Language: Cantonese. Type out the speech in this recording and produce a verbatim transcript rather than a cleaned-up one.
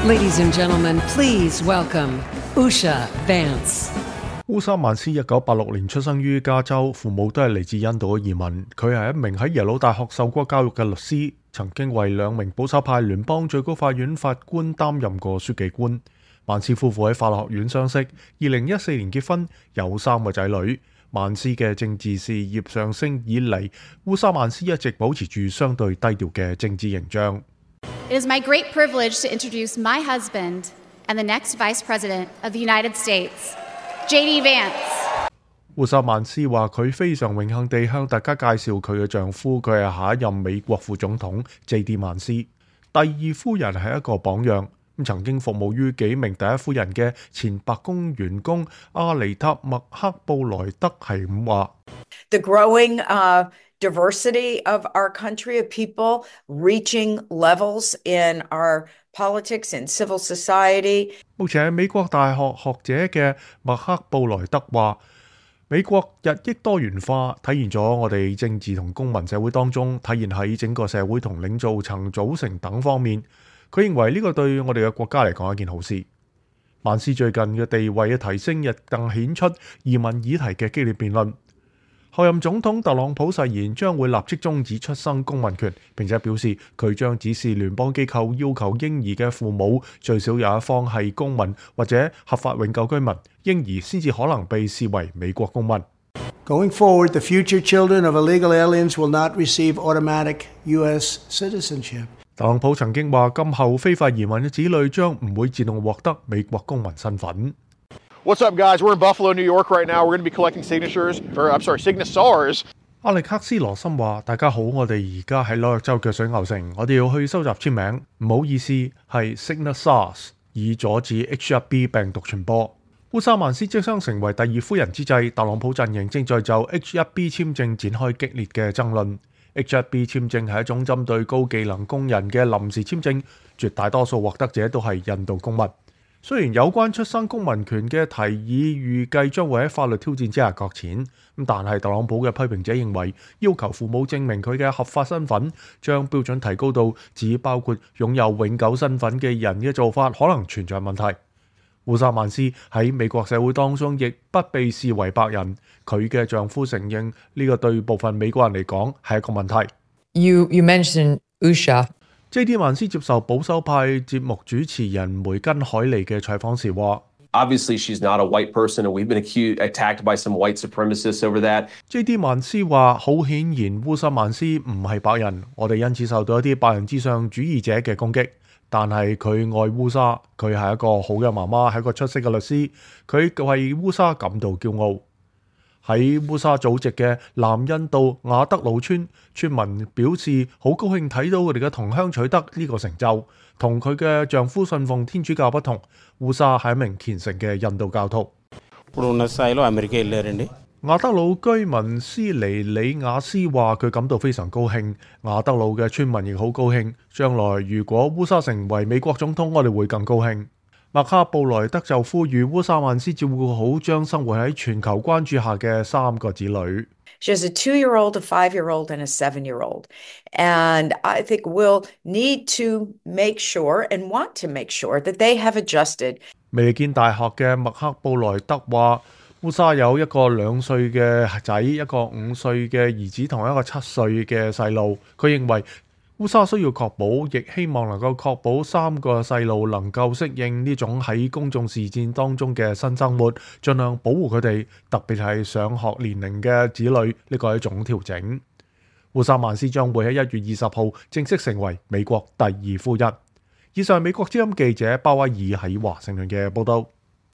Ladies and gentlemen, please welcome Usha Vance. 烏沙曼斯一九八六年出生於加州，父母都係嚟自印度嘅移民。佢係一名喺耶魯大學受過教育嘅律師，曾經為兩名保守派聯邦最高法院法官擔任過書記官。曼斯夫婦喺法學院相識，二零一四年結婚，有三個仔女。曼斯嘅政治事業上升以嚟，烏沙曼斯一直保持住相對低調嘅政治形象。It is my great privilege to introduce my husband and the next Vice President of the United States, J D Vance。烏沙曼斯話：佢非常榮幸地向大家介紹佢嘅丈夫，佢係下一任美國副總統 J D 曼斯。第二夫人係一個榜樣，曾經服務於幾名第一夫人嘅前白宮員工阿尼塔麥克布萊德係咁話。The growing, uh, diversity of our country, of people reaching levels in our politics and civil society。目前係美國大學學者嘅麥克布萊德話：美國日益多元化，體現咗我哋政治同公民社會當中，體現喺整個社會同領導層組成等方面。佢認為呢個對我哋嘅國家嚟講係一件好事。曼斯最近嘅地位嘅提升，亦更顯出移民議題嘅激烈辯論。候任總統特朗普誓言將會立即終止出生公民權，並且表示佢將指示聯邦機構要求嬰兒嘅父母最少有一方係公民或者合法永久居民，嬰兒先至可能被視為美國公民。Going forward, the future children of illegal aliens will not receive automatic U S citizenship。特朗普曾經話，今後非法移民嘅子女將唔會自動獲得美國公民身份。What's up, guys? We're in Buffalo, New York right now. We're going to be collecting signatures, or I'm sorry, signatars. 阿力克斯羅森話：大家好，我哋而家喺紐約州嘅水牛城，我哋要去收集簽名。唔好意思，係 signatars， 以阻止 H 一 B 病毒傳播。烏沙曼斯即將成為第二夫人之際，特朗普陣營正在就 H 一 B 簽證展開激烈嘅爭論。H 一 B 簽證係一種針對高技能工人嘅臨時簽證，絕大多數獲得者都係印度公民。雖然有關出生公民權嘅提議預計將會喺法律挑戰之下擱淺，但係特朗普嘅批評者認為，要求父母證明佢嘅合法身份，將標準提高到只包括擁有永久身份嘅人嘅做法，可能存在問題。烏沙曼斯喺美國社會當中亦不被視為白人，佢嘅丈夫承認呢個對部分美國人嚟講係一個問題。You, you mentioned Usha。J D 曼斯接受保守派節目主持人梅根海利嘅採訪時話 Obviously, she's not a white person, and we've been accused, attacked by some white supremacists over that. J D 曼斯話：好顯然，烏沙曼斯唔係白人，我哋因此受到一啲白人至上主義者嘅攻擊。但係佢愛烏沙，佢係一個好嘅媽媽，係一個出色嘅律師，佢為烏沙感到驕傲。喺烏沙祖籍嘅南印度雅德魯村，村民表示好高興睇到佢哋嘅同鄉取得呢個成就。同佢嘅丈夫信奉天主教不同，烏沙係一名虔誠嘅印度教徒。雅德魯居民斯尼里亞斯話：佢感到非常高興。雅德魯嘅村民亦好高興。將來如果烏沙成為美國總統，我哋會更高興。麥克布萊德就呼籲烏沙曼斯照顧好將生活喺全球關注下嘅三個子女。She has a two-year-old, a five-year-old, and a seven-year-old. And I think we'll need to make sure and want to make sure that they have adjusted. 未見大學嘅麥克布萊德話：烏沙有一個兩歲嘅仔，一個五歲嘅兒子同一個七歲嘅細路。佢認為烏沙需要確保，亦希望能夠確保三個細路能夠適應呢種喺公眾視線當中嘅新生活，盡量保護佢哋，特別係上學年齡嘅子女。呢個係一種調整。烏沙曼斯將會喺一月二十號正式成為美國第二夫人。以上美國之音記者鮑威爾喺華盛頓嘅報道。